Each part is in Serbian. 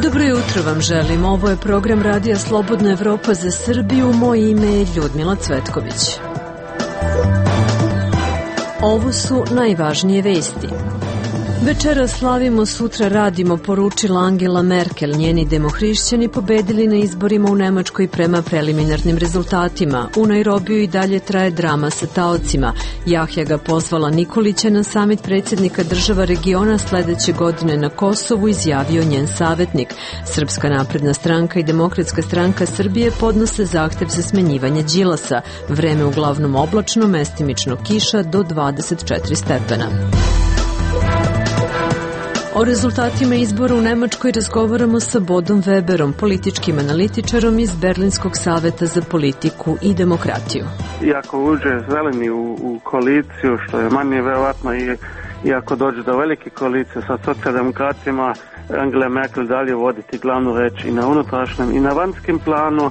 Dobro jutro vam želim. Ovo je program Radija Slobodna Evropa za Srbiju. Moje ime je Ljudmila Cvetković. Ovo su najvažnije vesti. Večera slavimo, sutra radimo, poručila Angela Merkel. Njeni demohrišćani pobedili na izborima u Nemačkoj prema preliminarnim rezultatima. U Nairobiju i dalje traje drama sa taocima. Jahjaga pozvala Nikolića na samit predsjednika država regiona sledeće godine na Kosovu, izjavio njen savjetnik. Srpska napredna stranka i Demokratska stranka Srbije podnose zahtev za smenjivanje Đilasa. Vreme uglavnom oblačno, mestimično kiša do 24 stepena. O rezultatima izbora u Nemačkoj razgovaramo sa Bodom Weberom, političkim analitičarom iz Berlinskog saveta za politiku i demokratiju. Iako uđe zeleni u koaliciju, što je manje verovatno, i ako dođe do velike koalicije sa socijaldemokratima, Angela Merkel dalje voditi glavnu reč i na unutrašnjem i na vanjskim planu.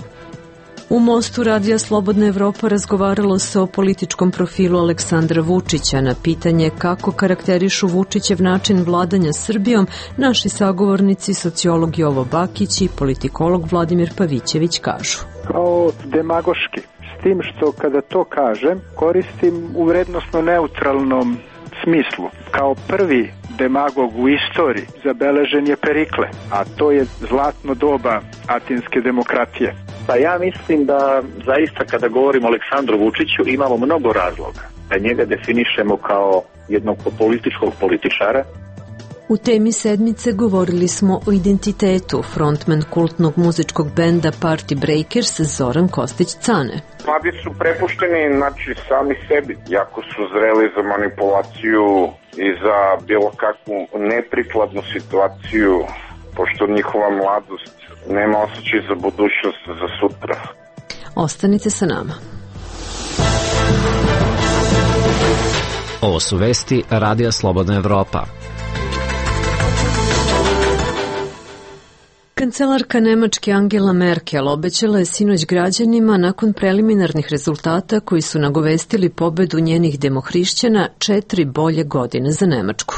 U Mostu Radija Slobodna Evropa razgovaralo se o političkom profilu Aleksandra Vučića. Na pitanje kako karakterišu Vučićev način vladanja Srbijom, naši sagovornici, sociolog Jovo Bakić i politikolog Vladimir Pavićević kažu. Kao demagoški, s tim što kada to kažem, koristim u vrednosno neutralnom smislu. Kao prvi demagog u istoriji zabeležen je Perikle, a to je zlatno doba atinske demokratije. Pa ja mislim da zaista kada govorimo o Aleksandru Vučiću imamo mnogo razloga da njega definišemo kao jednog političkog političara. U temi sedmice govorili smo o identitetu. Frontman kultnog muzičkog benda Party Breakers Zoran Kostić-Cane. Mladi su prepušteni, sami sebi. Jako su zreli za manipulaciju i za bilo kakvu neprikladnu situaciju, pošto njihova mladost nema osjećaj za budućnost, za sutra. Ostanite sa nama. Ovo su vesti Radija Slobodna Evropa. Kancelarka Nemačke Angela Merkel obećala je sinoć građanima nakon preliminarnih rezultata koji su nagovestili pobedu njenih demohrišćana 4 bolje godine za Nemačku.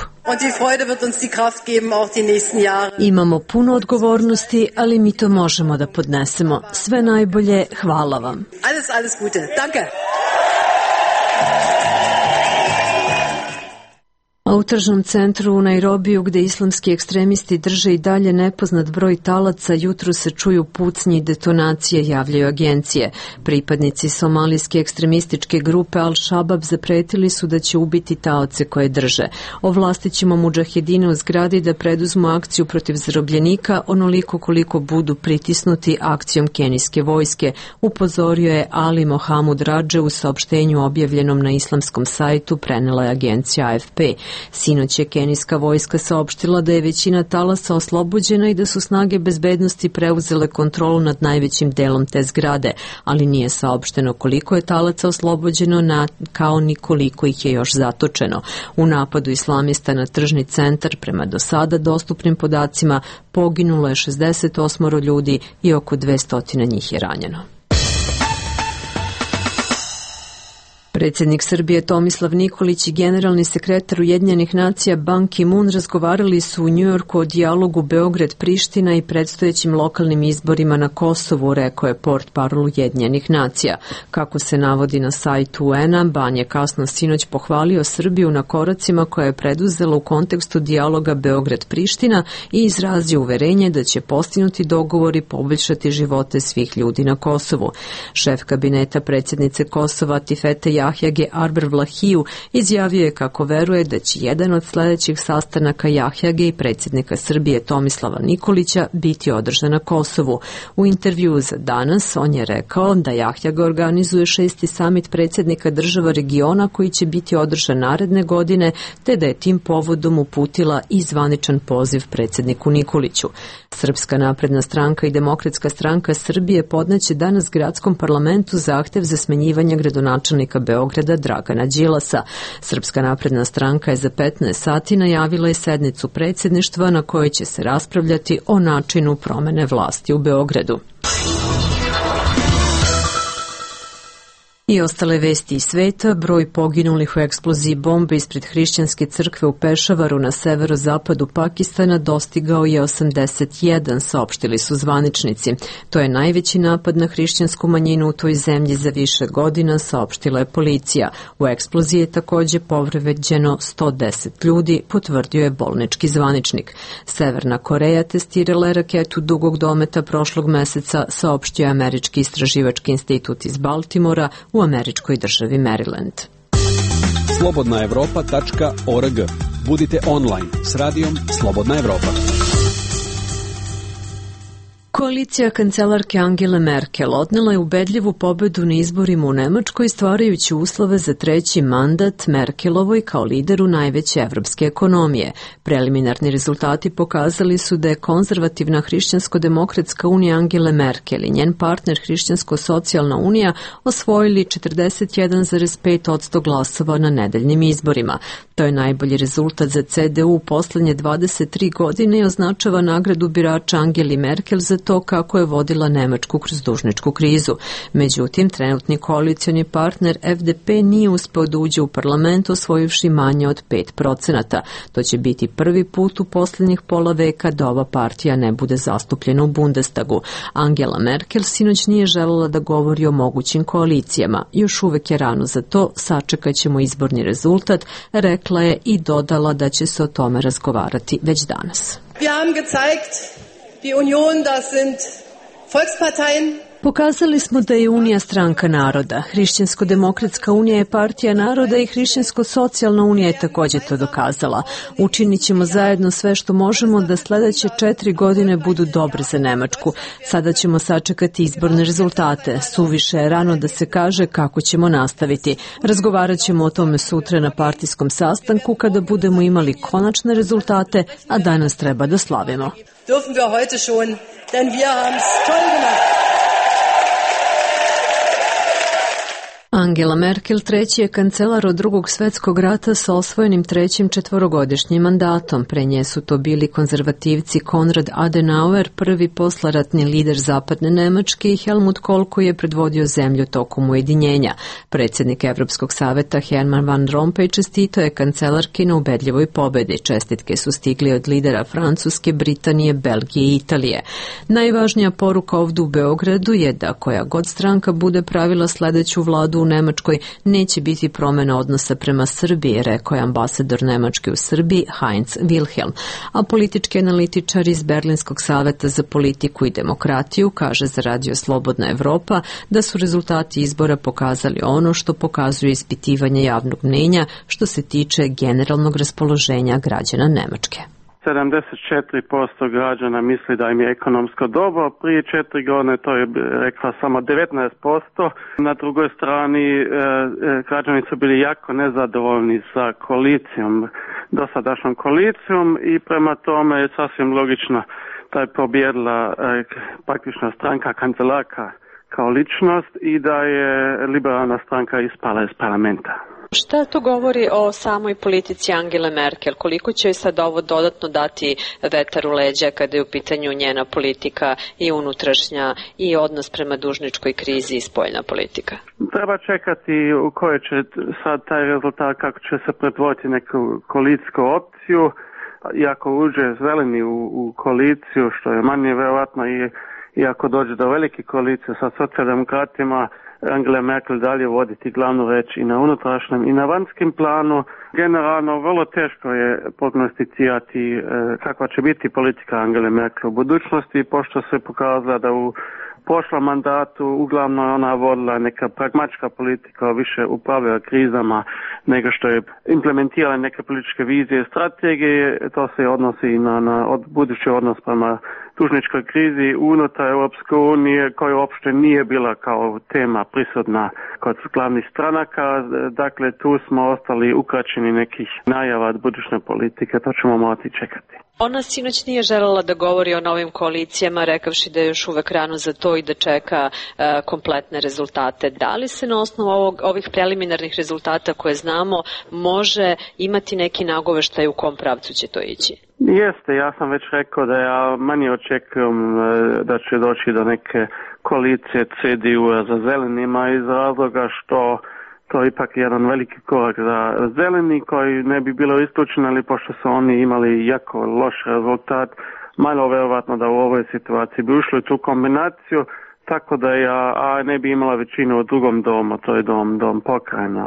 Imamo puno odgovornosti, ali mi to možemo da podnesemo. Sve najbolje, hvala vam. Alles Gute. Danke. A u tržnom centru u Nairobiju, gde islamski ekstremisti drže i dalje nepoznat broj talaca, jutro se čuju pucnji i detonacije, javljaju agencije. Pripadnici somalijske ekstremističke grupe Al-Shabab zapretili su da će ubiti taoce koje drže. Ovlastit ćemo mudžahedine u zgradi da preduzmu akciju protiv zarobljenika onoliko koliko budu pritisnuti akcijom kenijske vojske, upozorio je Ali Mohamud Radže u saopštenju objavljenom na islamskom sajtu, prenela je agencija AFP. Sinoć je kenijska vojska saopštila da je većina talasa oslobođena i da su snage bezbednosti preuzele kontrolu nad najvećim delom te zgrade, ali nije saopšteno koliko je talaca oslobođeno, kao ni koliko ih je još zatočeno. U napadu islamista na tržni centar, prema do sada dostupnim podacima, poginulo je 68 ljudi i oko 200 njih je ranjeno. Predsjednik Srbije Tomislav Nikolić i generalni sekretar Ujedinjenih nacija Ban Ki-moon razgovarali su u Njujorku o dijalogu Beograd-Priština i predstojećim lokalnim izborima na Kosovu, rekao je portparol Ujedinjenih nacija. Kako se navodi na sajtu UN-a, Ban je kasno sinoć pohvalio Srbiju na koracima koje je preduzela u kontekstu dijaloga Beograd-Priština i izrazio uverenje da će postignuti dogovor i poboljšati živote svih ljudi na Kosovu. Šef kabineta predsjednice Kosova Tifete Jahjage Arber Vlahiju izjavio je kako veruje da će jedan od sledećih sastanaka Jahjage i predsjednika Srbije Tomislava Nikolića biti održan na Kosovu. U intervjuu za Danas on je rekao da Jahjaga organizuje 6. samit predsjednika država regiona koji će biti održan naredne godine, te da je tim povodom uputila i zvaničan poziv predsjedniku Nikoliću. Srpska napredna stranka i Demokratska stranka Srbije podneće danas gradskom parlamentu zahtev za smenjivanje gradonačelnika Beograda Dragana Đilasa. Srpska napredna stranka je za 15 sati najavila i sednicu predsjedništva na kojoj će se raspravljati o načinu promene vlasti u Beogradu. I ostale vesti iz sveta, broj poginulih u eksploziji bombe ispred hrišćanske crkve u Pešavaru na severozapadu Pakistana dostigao je 81, saopštili su zvaničnici. To je najveći napad na hrišćansku manjinu u toj zemlji za više godina, saopštila je policija. U eksploziji je takođe povređeno 110 ljudi, potvrdio je bolnički zvaničnik. Severna Koreja testirala je raketu dugog dometa prošlog meseca, saopštio je Američki istraživački institut iz Baltimora u američkoj državi Maryland. Slobodnaevropa.org. Budite online s radijom Slobodna Evropa. Koalicija kancelarke Angele Merkel odnela je ubedljivu pobedu na izborima u Nemačkoj, stvarajući uslove za treći mandat Merkelovoj kao lideru najveće evropske ekonomije. Preliminarni rezultati pokazali su da je konzervativna hrišćansko-demokratska unija Angele Merkel i njen partner Hrišćansko-socijalna unija osvojili 41,5% glasova na nedeljnim izborima. To je najbolji rezultat za CDU u poslednje 23 godine i označava nagradu birača Angeli Merkel za to kako je vodila Nemačku kroz dužničku krizu. Međutim, trenutni koalicioni partner FDP nije uspeo da uđe u parlament, osvojivši manje od 5%. To će biti prvi put u poslednjih pola veka da ova partija ne bude zastupljena u Bundestagu. Angela Merkel sinoć nije želela da govori o mogućim koalicijama. Još uvek je rano za to, sačekat ćemo izborni rezultat, rekla je i dodala da će se o tome razgovarati već danas. Wir haben gezeigt, die Union, das sind Volksparteien. Pokazali smo da je Unija stranka naroda. Hrišćansko-demokratska unija je partija naroda i Hrišćansko-socijalna unija je takođe to dokazala. Učinit ćemo zajedno sve što možemo da sledeće 4 godine budu dobre za Nemačku. Sada ćemo sačekati izborne rezultate. Suviše je rano da se kaže kako ćemo nastaviti. Razgovarat ćemo o tome sutra na partijskom sastanku kada budemo imali konačne rezultate, a danas treba da slavimo. Dürfen wir heute schon, denn wir haben's toll gemacht. Angela Merkel treći je kancelar od Drugog svetskog rata sa osvojenim trećim četvorogodišnjim mandatom. Pre nje su to bili konzervativci Konrad Adenauer, prvi poslaratni lider zapadne Nemačke, i Helmut Kohl koji je predvodio zemlju tokom ujedinjenja. Predsjednik Evropskog saveta Herman Van Rompuy čestitao je kancelarki na ubedljivoj pobedi. Čestitke su stigli od lidera Francuske, Britanije, Belgije i Italije. Najvažnija poruka ovdje u Beogradu je da koja god stranka bude pravila sledeću vladu u Nemačkoj, neće biti promjena odnosa prema Srbiji, rekao je ambasador Nemačke u Srbiji Heinz Wilhelm. A politički analitičar iz Berlinskog saveta za politiku i demokratiju kaže za radio Slobodna Evropa da su rezultati izbora pokazali ono što pokazuje ispitivanje javnog mnenja što se tiče generalnog raspoloženja građana Nemačke. 74% građana misli da im je ekonomsko dobro, prije 4 godine to je rekla samo 19%. Na drugoj strani građani su bili jako nezadovoljni sa koalicijom, dosadašnjom koalicijom, i prema tome je sasvim logično da je pobjedila praktično stranka kancelarka kao ličnost i da je liberalna stranka ispala iz parlamenta. Šta to govori o samoj politici Angele Merkel? Koliko će sad ovo dodatno dati vetar u leđa kada je u pitanju njena politika i unutrašnja i odnos prema dužničkoj krizi i spoljna politika? Treba čekati u kojoj će sad taj rezultat, kako će se pretvoriti neku koalicijsku opciju. Iako uđe zeleni u koaliciju, što je manje verovatno, i ako dođe do velike koalicije sa socijaldemokratima, Angela Merkel dalje voditi glavnu reč i na unutrašnjem i na vanjskim planu. Generalno vrlo teško je prognosticirati kakva će biti politika Angele Merkel u budućnosti, pošto se pokazala da u prošlom mandatu uglavnom ona vodila neka pragmatička politika, više upravlja krizama nego što je implementirala neke političke vizije i strategije. To se odnosi i na budući odnos prema dužničkoj krizi unutar Europske unije, koja uopšte nije bila kao tema prisutna kod glavnih stranaka. Dakle, tu smo ostali ukraćeni nekih najava od budućne politike, to ćemo morati čekati. Ona sinoć nije želela da govori o novim koalicijama, rekavši da je još uvek rano za to i da čeka kompletne rezultate. Da li se na osnovu ovih preliminarnih rezultata koje znamo može imati neki nagoveštaj u kom pravcu će to ići? Jeste, ja sam već rekao da ja manje očekujem da će doći do neke koalicije CDU-a za zelenima iz razloga što to je ipak jedan veliki korak za zeleni koji ne bi bilo isključeno, ali pošto su oni imali jako loš rezultat, malo verovatno da u ovoj situaciji bi ušli u tu kombinaciju, tako da ja ne bi imala većinu u drugom domu, to je dom pokrajina.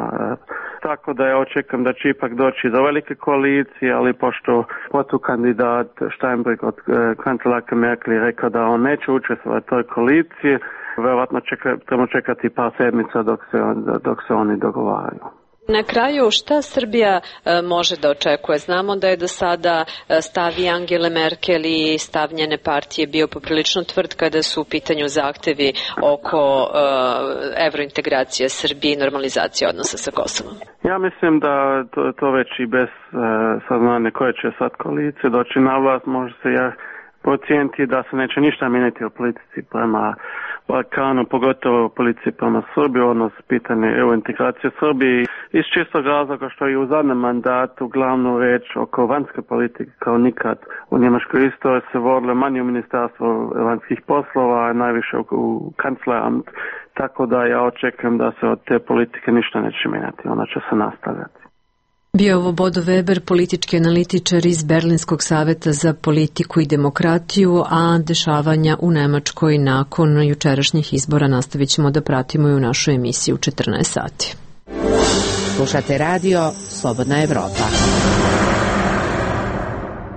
Tako da ja očekam da će ipak doći do velike koalicije, ali pošto protukandidat Steinbrück od kancelarke Merkel je rekao da on neće učestvovati u toj koaliciji, verovatno trebamo čekati par sedmica dok se oni dogovaraju. Na kraju, šta Srbija može da očekuje? Znamo da je do sada stav Angele Merkel i stav njene partije bio poprilično tvrd kada su u pitanju zahtevi oko evrointegracije Srbije i normalizacije odnosa sa Kosovom. Ja mislim da to već i bez saznanja koje će sad koalicije doći na vlast, može se procijeniti da se neće ništa mijenjati u politici prema Balkanu, pogotovo u politici prema Srbiji, odnos pitanje integracije Srbije. Iz čistog razloga što je u zadnjem mandatu glavnu reč oko vanjske politike kao nikad u njemačkoj istoriji se vodilo manje u ministarstvu vanjskih poslova, najviše u kancleramt, tako da ja očekujem da se od te politike ništa neće mijenjati, ona će se nastavljati. Bio ovo Bodo Weber, politički analitičar iz Berlinskog saveta za politiku i demokratiju, a dešavanja u Nemačkoj nakon jučerašnjih izbora nastavit ćemo da pratimo i u našoj emisiji u 14 sati. Slušate radio Slobodna Evropa.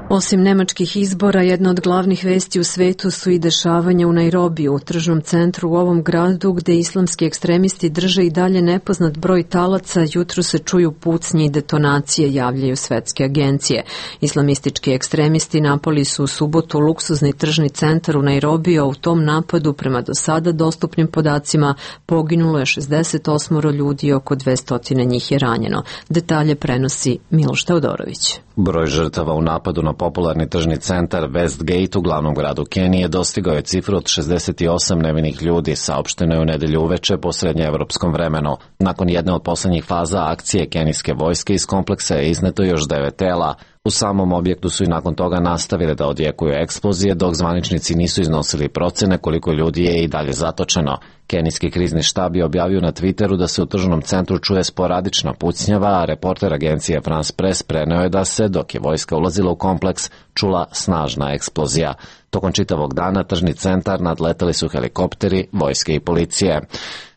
Osim nemačkih izbora, jedna od glavnih vesti u svetu su i dešavanja u Nairobiju, u tržnom centru u ovom gradu gde islamski ekstremisti drže i dalje nepoznat broj talaca. Jutro se čuju pucnje i detonacije, javljaju svetske agencije. Islamistički ekstremisti napali su u subotu luksuzni tržni centar u Nairobiju, a u tom napadu, prema do sada dostupnim podacima, poginulo je 68 ljudi i oko 200 njih je ranjeno. Detalje prenosi Miloš Teodorović. Broj žrtava u napadu na popularni tržni centar Westgate u glavnom gradu Kenije dostigao je cifru od 68 nevinih ljudi, saopšteno je u nedelju uveče po srednjeevropskom vremenu. Nakon jedne od poslednjih faza akcije kenijske vojske iz kompleksa je izneto još 9 tela. U samom objektu su i nakon toga nastavili da odjekuju eksplozije, dok zvaničnici nisu iznosili procene koliko ljudi je i dalje zatočeno. Kenijski krizni štab je objavio na Twitteru da se u tržnom centru čuje sporadična pucnjava, a reporter agencije France Press preneo je da se, dok je vojska ulazila u kompleks, čula snažna eksplozija. Tokom čitavog dana tržni centar nadletali su helikopteri, vojske i policije.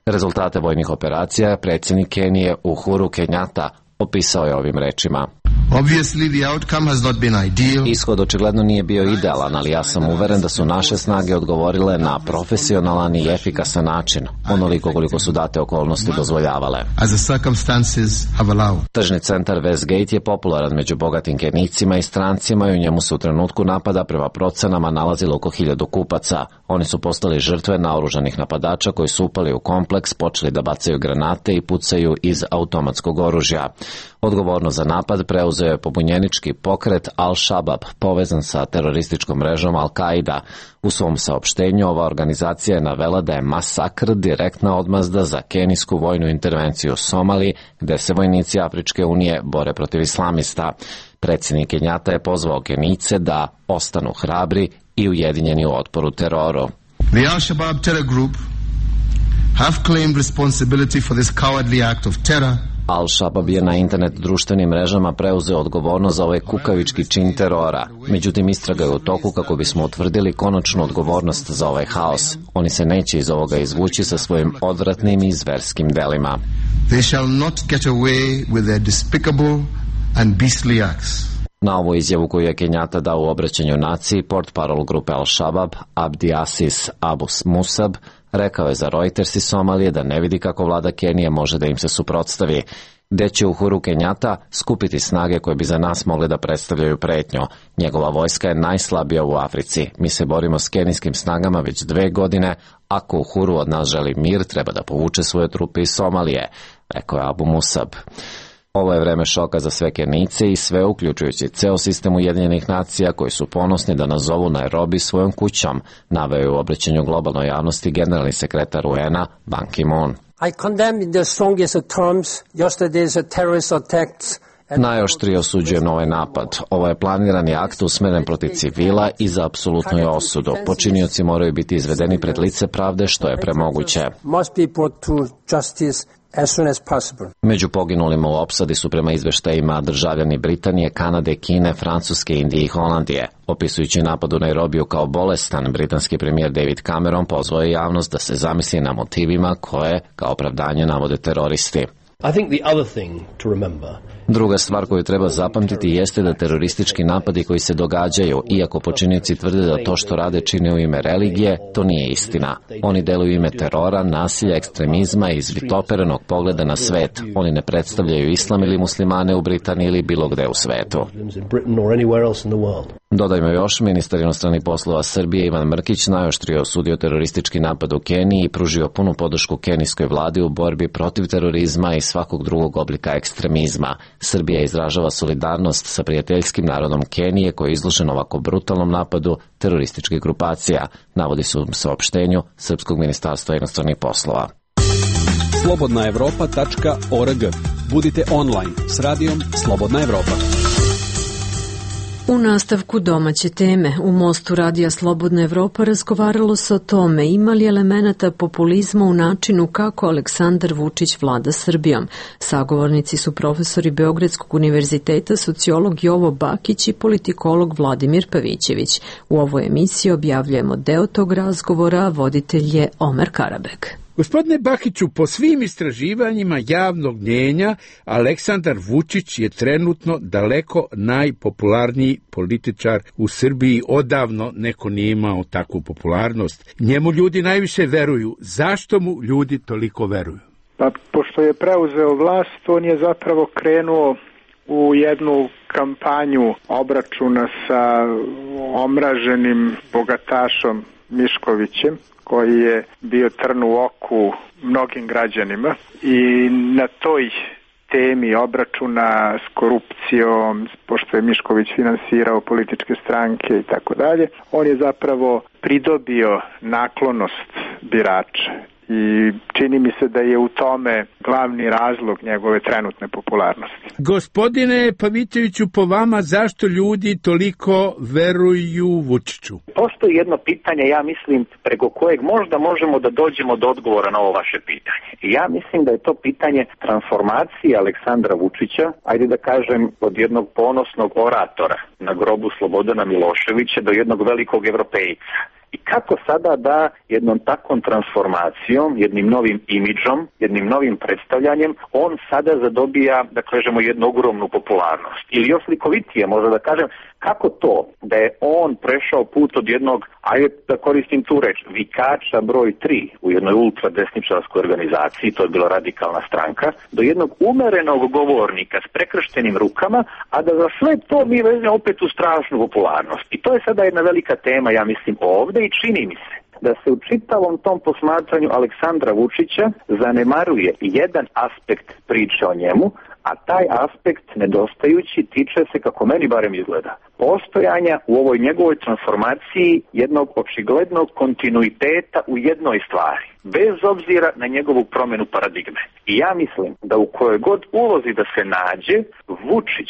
Rezultate vojnih operacija predsjednik Kenije Uhuru Kenyatta opisao je ovim rečima. Ishod očigledno nije bio idealan, ali ja sam uveren da su naše snage odgovorile na profesionalan i efikasan način, onoliko koliko su date okolnosti dozvoljavale. Tržni centar Westgate je popularan među bogatim Kenijcima i strancima i u njemu se u trenutku napada prema procenama nalazilo oko 1000 kupaca. Oni su postali žrtve naoružanih napadača koji su upali u kompleks, počeli da bacaju granate i pucaju iz automatskog oružja. Odgovorno za napad preuzeo je pobunjenički pokret Al-Shabaab, povezan sa terorističkom mrežom Al-Qaida. U svom saopštenju ova organizacija je navela da je masakr direktna odmazda za kenijsku vojnu intervenciju u Somaliji, gde se vojnici Afričke unije bore protiv islamista. Predsjednik Kenyatta je pozvao Kenijce da ostanu hrabri i ujedinjeni u otporu teroru. The Al-Shabaab terror group have claimed responsibility for this cowardly act of terror. Al-Shabaab je na internet društvenim mrežama preuzeo odgovornost za ovaj kukavički čin terora. Međutim, istraga je u toku kako bismo utvrdili konačnu odgovornost za ovaj haos. Oni se neće iz ovoga izvući sa svojim odvratnim i zverskim delima. They shall not get away with their despicable and beastly acts. Na ovu izjavu koju je Kenyatta dao u obraćanju naciji, portparol grupe Al-Shabaab, Abdi Asis Abu Musab, rekao je za Reuters iz Somalije da ne vidi kako vlada Kenije može da im se suprotstavi, gde će Uhuru Kenyatta skupiti snage koje bi za nas mogli da predstavljaju pretnju. Njegova vojska je najslabija u Africi. Mi se borimo s kenijskim snagama već 2 godine. Ako Uhuru od nas želi mir, treba da povuče svoje trupe iz Somalije, rekao je Abu Musab. Ovo je vreme šoka za sve Kenijce i sve, uključujući ceo sistem Ujedinjenih nacija koji su ponosni da nazovu Nairobi svojom kućom, naveo je u obraćanju globalnoj javnosti generalni sekretar UN-a Ban Ki-moon. I condemn in the strongest terms yesterday's terrorist attacks Najoštrije osuđujem ovaj napad. Ovo je planirani akt usmeren protiv civila i za apsolutnu je osudu. Počinioci moraju biti izvedeni pred lice pravde što je premoguće. Među poginulima u opsadi su prema izveštajima državljani Britanije, Kanade, Kine, Francuske, Indije i Holandije. Opisujući napad u Nairobiju kao bolestan, britanski premijer David Cameron pozvao je javnost da se zamisli na motivima koje, kao opravdanje, navode teroristi. Druga stvar koju treba zapamtiti jeste da teroristički napadi koji se događaju, iako počinioci tvrde da to što rade čine u ime religije, to nije istina. Oni deluju u ime terora, nasilja, ekstremizma i izvitoperenog pogleda na svet. Oni ne predstavljaju islam ili muslimane u Britaniji ili bilo gde u svetu. Dodajmo još, ministar inostranih poslova Srbije Ivan Mrkić najoštrije osudio teroristički napad u Keniji i pružio punu podršku kenijskoj vladi u borbi protiv terorizma i svakog drugog oblika ekstremizma. Srbija izražava solidarnost sa prijateljskim narodom Kenije koji je izložen ovako brutalnom napadu terorističkih grupacija, navodi se u saopštenju Srpskog ministarstva inostranih poslova. slobodnaevropa.org. Budite online s radijom Slobodna Evropa. U nastavku domaće teme, u Mostu Radija Slobodna Evropa razgovaralo se o tome ima li elemenata populizma u načinu kako Aleksandar Vučić vlada Srbijom. Sagovornici su profesori Beogradskog univerziteta, sociolog Jovo Bakić i politikolog Vladimir Pavićević. U ovoj emisiji objavljujemo deo tog razgovora, voditelj je Omer Karabek. Gospodine Bakiću, po svim istraživanjima javnog mnjenja, Aleksandar Vučić je trenutno daleko najpopularniji političar u Srbiji. Odavno neko nije imao takvu popularnost. Njemu ljudi najviše veruju. Zašto mu ljudi toliko veruju? Pa, pošto je preuzeo vlast, on je zapravo krenuo u jednu kampanju obračuna sa omraženim bogatašom Miškovićem, koji je bio trn u oku mnogim građanima i na toj temi obračuna s korupcijom, pošto je Mišković finansirao političke stranke i tako dalje, on je zapravo pridobio naklonost birača. I čini mi se da je u tome glavni razlog njegove trenutne popularnosti. Gospodine Pavićeviću, po vama zašto ljudi toliko veruju Vučiću? Postoji jedno pitanje, ja mislim, preko kojeg možda možemo da dođemo do odgovora na ovo vaše pitanje. I ja mislim da je to pitanje transformacije Aleksandra Vučića, ajde da kažem, od jednog ponosnog oratora na grobu Slobodana Miloševića do jednog velikog evropejca. I kako sada da jednom takvom transformacijom, jednim novim imidžom, jednim novim predstavljanjem, on sada zadobija, da kažemo, jednu ogromnu popularnost. Ili još slikovitije, možda da kažem, kako to da je on prešao put od jednog, ajde da koristim tu reč, vikača broj 3 u jednoj ultradesničarskoj organizaciji, to je bila Radikalna stranka, do jednog umerenog govornika s prekrštenim rukama, a da za sve to mi vezme opet u strašnu popularnost. I to je sada jedna velika tema, ja mislim, ovde i čini mi se da se u čitavom tom posmatranju Aleksandra Vučića zanemaruje jedan aspekt priče o njemu, a taj aspekt nedostajući tiče se, kako meni barem izgleda, postojanja u ovoj njegovoj transformaciji jednog očiglednog kontinuiteta u jednoj stvari, bez obzira na njegovu promjenu paradigme. I ja mislim da u kojoj god ulozi da se nađe, Vučić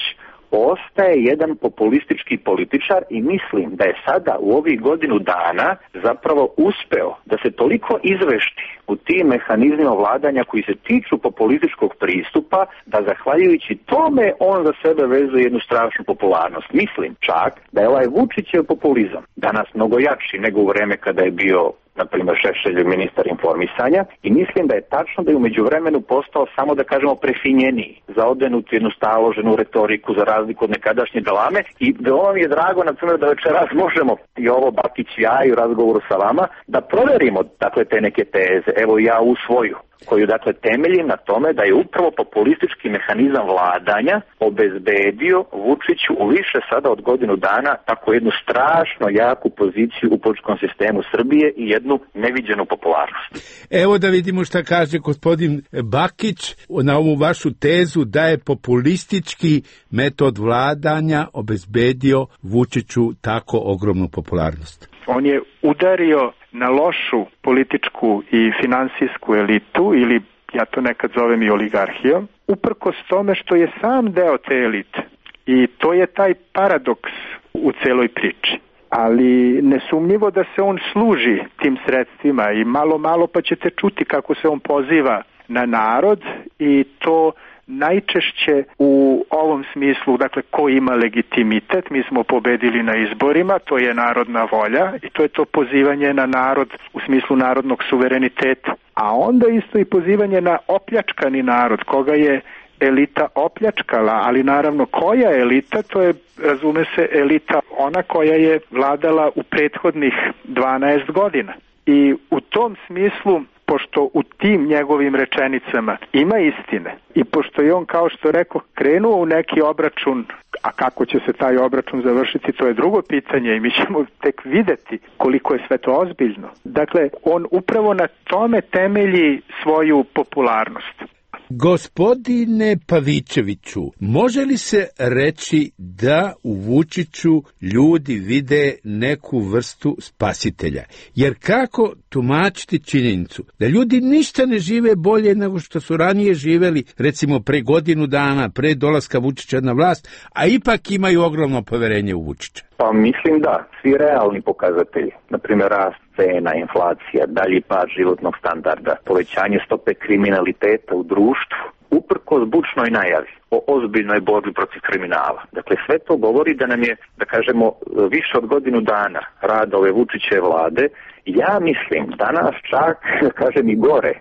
ostaje jedan populistički političar i mislim da je sada u ovih godinu dana zapravo uspeo da se toliko izvešti u tim mehanizmima vladanja koji se tiču populističkog pristupa da zahvaljujući tome on za sebe vezuje jednu strašnu popularnost. Mislim čak da je ovaj Vučićev populizam danas mnogo jači nego u vreme kada je bio na primjer Šešelj ministar informisanja i mislim da je tačno da je u međuvremenu postao samo da kažemo prefinjeniji, zaodenuti jednu staloženu retoriku za razliku od nekadašnje galame i veoma mi je drago na primjer da večeras možemo i ovo Bakić i ja i u razgovoru sa vama da proverimo dakle te neke teze, evo ja u svoju koju dakle temeljim na tome da je upravo populistički mehanizam vladanja obezbedio Vučiću u više sada od godinu dana tako jednu strašno jaku poziciju u političkom sistemu Srbije i jednu neviđenu popularnost. Evo da vidimo šta kaže gospodin Bakić na ovu vašu tezu da je populistički metod vladanja obezbedio Vučiću tako ogromnu popularnost. On je udario na lošu političku i finansijsku elitu ili ja to nekad zovem i oligarhijom, uprkos tome što je sam deo te elite. I to je taj paradoks u celoj priči. Ali nesumnjivo da se on služi tim sredstvima i malo pa ćete čuti kako se on poziva na narod i to najčešće u ovom smislu, dakle, ko ima legitimitet, mi smo pobedili na izborima, to je narodna volja i to je to pozivanje na narod u smislu narodnog suvereniteta. A onda isto i pozivanje na opljačkani narod, koga je elita opljačkala, ali naravno koja elita, to je, razume se, elita ona koja je vladala u prethodnih 12 godina. I u tom smislu, pošto u tim njegovim rečenicama ima istine i pošto je on, kao što rekao, krenuo u neki obračun, a kako će se taj obračun završiti, to je drugo pitanje i mi ćemo tek videti koliko je sve to ozbiljno. Dakle, on upravo na tome temelji svoju popularnost. Gospodine Pavićeviću, može li se reći da u Vučiću ljudi vide neku vrstu spasitelja? Jer kako tumačiti činjenicu da ljudi ništa ne žive bolje nego što su ranije živeli, recimo pre godinu dana, pre dolaska Vučića na vlast, a ipak imaju ogromno poverenje u Vučića? Pa mislim da, svi realni pokazatelji, na primjer rast cena, inflacija, dalji pad životnog standarda, povećanje stope kriminaliteta u društvu, uprkos bučnoj najavi o ozbiljnoj borbi protiv kriminala. Dakle, sve to govori da nam je, da kažemo, više od godinu dana rada ove Vučićeve vlade, ja mislim danas čak, kažem, i gore.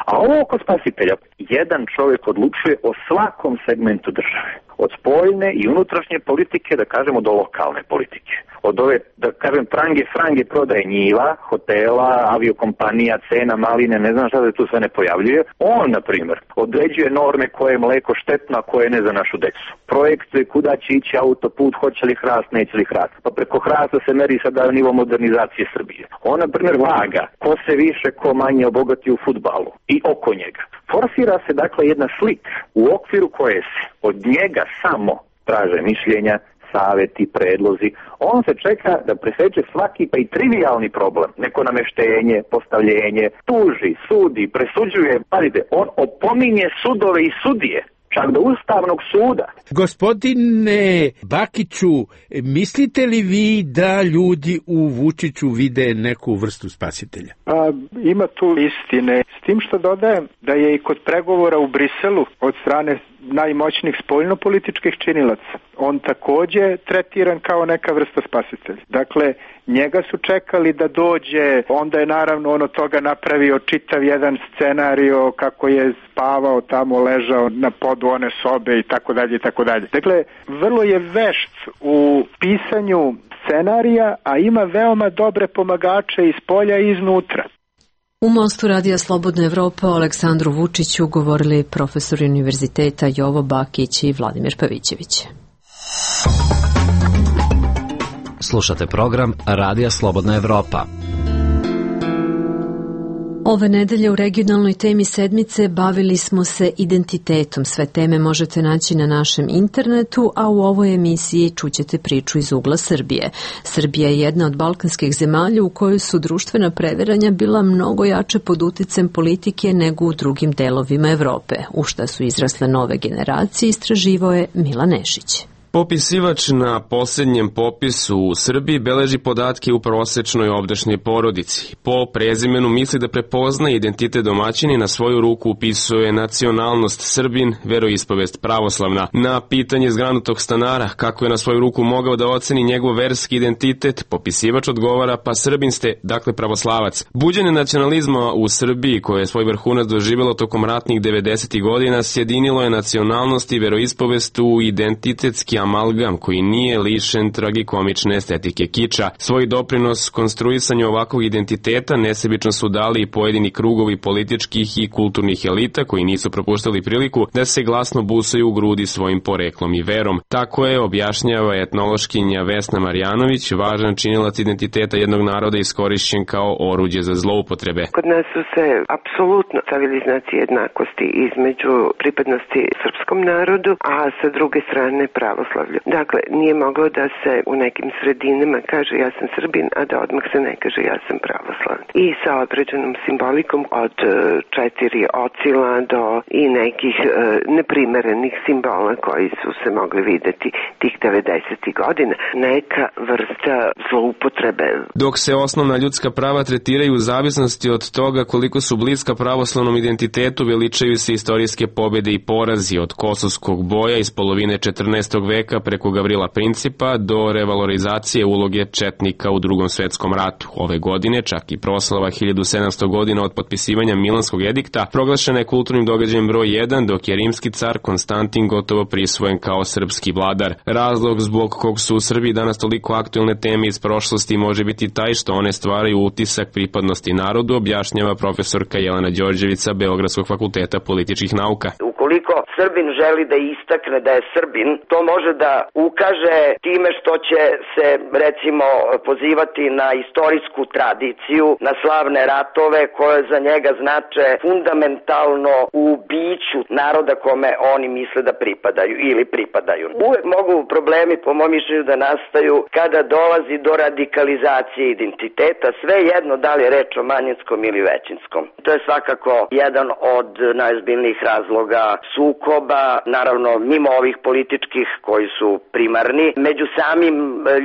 A ovo oko spasitelja, jedan čovjek odlučuje o svakom segmentu države. Od spoljne i unutrašnje politike, da kažemo, do lokalne politike. Od ove, da kažem, frange prodaje njiva, hotela, aviokompanija, cena, maline, ne znam šta se tu sve ne pojavljuje. On, na primjer, određuje norme koje je mleko štetno, a koje ne za našu decu. Projektuje kuda će ići autoput, hoće li hrast, neće li hrast. Pa preko hrasta se meri sada nivo modernizacije Srbije. On, na primjer, vaga ko se više, ko manje obogati u fudbalu i oko njega. Forsira se, dakle, jedna slika u okviru koje se od njega samo traže mišljenja, saveti, predlozi. On se čeka da preseče svaki pa i trivialni problem. Neko nameštenje, postavljenje, tuži, sudi, presuđuje. Pazite, on opominje sudove i sudije. Čak do Ustavnog suda. Gospodine Bakiću, mislite li vi da ljudi u Vučiću vide neku vrstu spasitelja? Ima tu istine. S tim što dodajem da je i kod pregovora u Briselu od strane najmoćnijih spoljnopolitičkih činilaca on takođe tretiran kao neka vrsta spasitelja. Dakle, njega su čekali da dođe, onda je naravno on od toga napravio čitav jedan scenario kako je spavao tamo, ležao na podu one sobe i tako dalje i tako dalje. Dakle, vrlo je vešt u pisanju scenarija, a ima veoma dobre pomagače iz polja i iznutra. U Mostu Radija Slobodna Evropa o Aleksandru Vučiću govorili profesori univerziteta Jovo Bakić i Vladimir Pavićević. Slušate program Radija Slobodna Evropa. Ove nedelje u regionalnoj temi sedmice bavili smo se identitetom. Sve teme možete naći na našem internetu, a u ovoj emisiji čućete priču iz ugla Srbije. Srbija je jedna od balkanskih zemalja u kojoj su društvena previranja bila mnogo jače pod uticajem politike nego u drugim delovima Evrope, u šta su izrasle nove generacije, istraživao je Milan Nešić. Popisivač na posljednjem popisu u Srbiji beleži podatke u prosečnoj ovdašnjoj porodici. Po prezimenu misli da prepozna identitet domaćini, na svoju ruku upisuje nacionalnost Srbin, veroispovest pravoslavna. Na pitanje zgranutog stanara kako je na svoju ruku mogao da oceni njegov verski identitet, popisivač odgovara: pa Srbin ste, dakle pravoslavac. Buđenje nacionalizma u Srbiji, koje je svoj vrhunac doživjelo tokom ratnih 90. godina, sjedinilo je nacionalnost i veroispovest u identitetski amalgam koji nije lišen tragikomične estetike kiča. Svoj doprinos konstruisanju ovakvog identiteta nesebično su dali i pojedini krugovi političkih i kulturnih elita koji nisu propuštali priliku da se glasno busaju u grudi svojim poreklom i verom. Tako je, objašnjava etnološkinja Vesna Marjanović, važan činilac identiteta jednog naroda iskorišćen kao oruđe za zloupotrebe. Kod nas su se apsolutno stavili znaci jednakosti između pripadnosti srpskom narodu, a sa druge strane pravoslavnom pravoslavlju. Dakle, nije mogao da se u nekim sredinama kaže ja sam Srbin, a da odmah se ne kaže ja sam pravoslavni. I sa određenom simbolikom od 4 ocila do i nekih neprimerenih simbola koji su se mogli videti tih 90. godina. Neka vrsta zloupotrebe. Dok se osnovna ljudska prava tretiraju u zavisnosti od toga koliko su bliska pravoslavnom identitetu, veličaju se istorijske pobede i porazi od kosovskog boja iz polovine 14. veka preko Gavrila Principa do revalorizacije uloge četnika u Drugom svetskom ratu. Ove godine čak i proslava 1700 godina od potpisivanja Milanskog edikta proglašena je kulturnim događajem broj 1, dok je rimski car Konstantin gotovo prisvojen kao srpski vladar. Razlog zbog kog su u Srbiji danas toliko aktuelne teme iz prošlosti može biti taj što one stvaraju utisak pripadnosti narodu, objašnjava profesorka Jelena Đorđević sa Beogradskog fakulteta političkih nauka. Ukoliko Srbin želi da istakne da je Srbin, to može da ukaže time što će se recimo pozivati na istorijsku tradiciju, na slavne ratove koje za njega znače fundamentalno u biću naroda kome oni misle da pripadaju ili pripadaju. Uvek mogu problemi, po mom mišljenju, da nastaju kada dolazi do radikalizacije identiteta, sve jedno da li je reč o manjinskom ili većinskom. To je svakako jedan od najozbiljnijih razloga sukoba, naravno mimo ovih političkih koji su primarni, među samim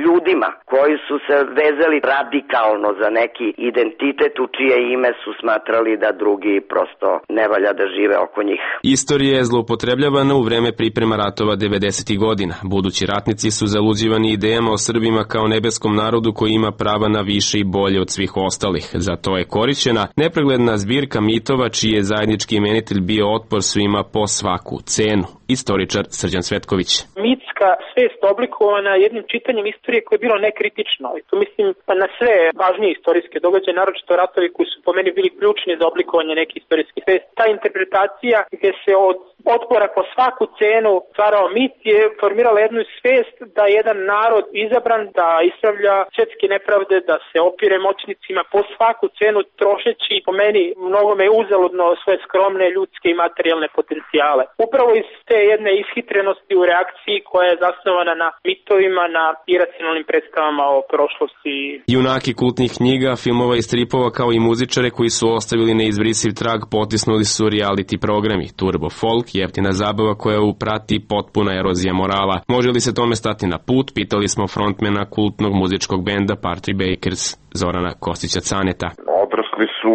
ljudima koji su se vezali radikalno za neki identitet u čije ime su smatrali da drugi prosto ne valja da žive oko njih. Istorija je zloupotrebljavana u vreme priprema ratova 90. godina. Budući ratnici su zaluđivani idejama o Srbima kao nebeskom narodu koji ima prava na više i bolje od svih ostalih. Zato je korišćena nepregledna zbirka mitova čiji je zajednički imenitelj bio otpor svima po svaku cenu. Istoričar Srđan Cvetković. Mitska svest oblikovana jednim čitanjem istorije koje je bilo nekritično. I tu mislim na sve važnije istorijske događaje, naročito ratovi koji su po meni bili ključni za oblikovanje neke istorijske svesti. Ta interpretacija gdje se od otpora po svaku cenu stvarao mit je formirala jednu svest da jedan narod izabran da ispravlja svjetske nepravde, da se opire moćnicima po svaku cenu trošeći po meni mnogome uzaludno svoje skromne ljudske i materijalne potencijale. Upravo iz te jedne ishitrenosti u reakciji koja je zasnovana na mitovima, na iracionalnim predstavama o prošlosti. Junaki kultnih knjiga, filmova i stripova kao i muzičare koji su ostavili neizbrisiv trag potisnuli su reality programi, turbo folk, jeftina zabava koja uprati potpuna erozija morala. Može li se tome stati na put, pitali smo frontmena kultnog muzičkog benda Party Bakers Zorana Kostića-Caneta. Odrasli su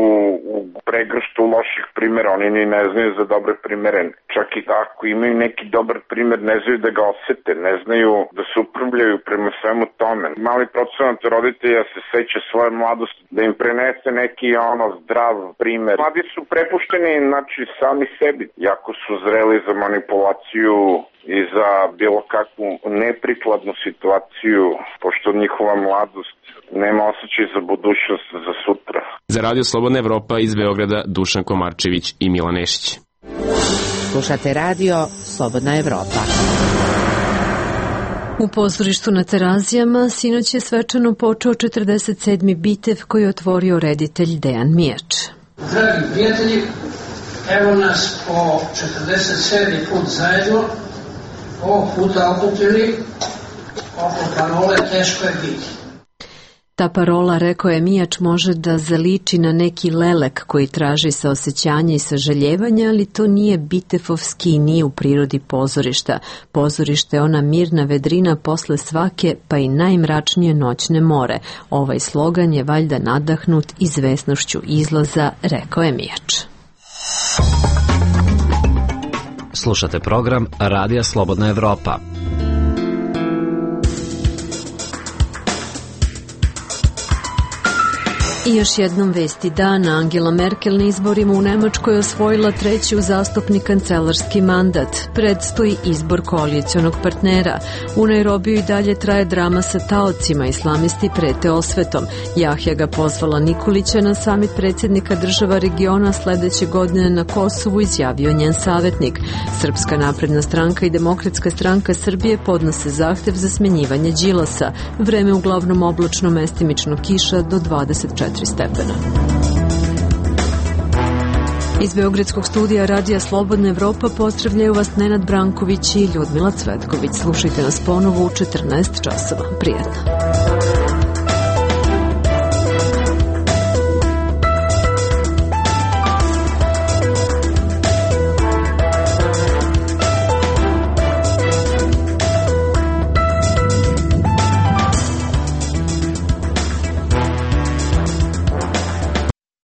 u pregrštu loših primjera, oni ni ne znaju za dobre primjere. Čak i ako imaju neki dobar primjer, ne znaju da ga osete, ne znaju da se upravljaju prema svemu tome. Mali procenat roditelja se seća svoje mladosti, da im prenese neki zdrav primjer. Mladi su prepušteni, sami sebi, jako su zreli za manipulaciju i za bilo kakvu neprikladnu situaciju, pošto njihova mladost nema osjećaj za budućnost, za sutra. Za Radio Slobodna Evropa iz Beograda Dušan Komarčević i Milan Nešić. Slušate Radio Slobodna Evropa. U pozorištu na Terazijama sinoć je svečano počeo 47. bitev koji je otvorio reditelj Dejan Mijač. Dragi prijatelji, evo nas po 47. put zajedno, ovog puta okupili oko parole teško je biti. Ta parola, rekao je Mijač, može da zaliči na neki lelek koji traži saosećanje i sažaljevanje, ali to nije bitefovski i nije u prirodi pozorišta. Pozorište je ona mirna vedrina posle svake, pa i najmračnije noćne more. Ovaj slogan je valjda nadahnut izvesnošću izlaza, rekao je Mijač. Slušate program Radija Slobodna Evropa. I još jednom vesti dana. Angela Merkel na izborima u Nemačkoj osvojila 3. uzastopni kancelarski mandat. Predstoji izbor koalicionog partnera. U Nairobiju i dalje traje drama sa taocima. Islamisti prete osvetom. Jahja ga pozvala Nikolića na samit predsjednika država regiona sledeće godine na Kosovu, izjavio njen savjetnik. Srpska napredna stranka i Demokratska stranka Srbije podnose zahtev za smenjivanje Đilasa. Vreme uglavnom oblačno, mestimično kiša do 24 stepena. Iz Beogradskog studija Radija Slobodna Evropa pozdravljaju vas Nenad Branković i Ljudmila Cvetković. Slušajte nas ponovo u 14 časova. Prijetno.